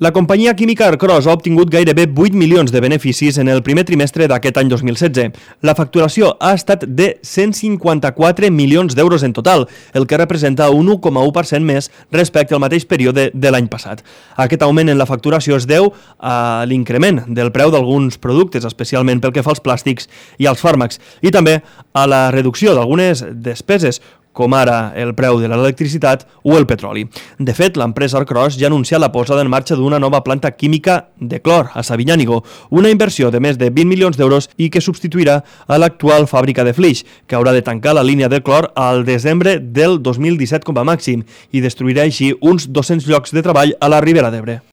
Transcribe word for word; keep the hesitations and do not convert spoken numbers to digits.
La companyia química Arcros ha obtingut gairebé vuit milions de beneficis en el primer trimestre d'aquest any dos mil setze. La facturació ha estat de cent cinquanta-quatre milions d'euros en total, el que representa un u coma u per cent més respecte al mateix període de l'any passat. Aquest augment en la facturació es deu a l'increment del preu d'alguns productes, especialment pel que fa als plàstics i als fàrmacs, i també a la reducció d'algunes despeses, com ara el preu de l'electricitat o el petroli. De fet, l'empresa Arcros ja ha anunciat la posada en marxa d'una nova planta química de clor a Sabinyànigo, una inversió de més de vint milions d'euros i que substituirà a l'actual fàbrica de Flix, que haurà de tancar la línia de clor al desembre del dos mil disset com a màxim i destruirà així uns dos-cents llocs de treball a la Ribera d'Ebre.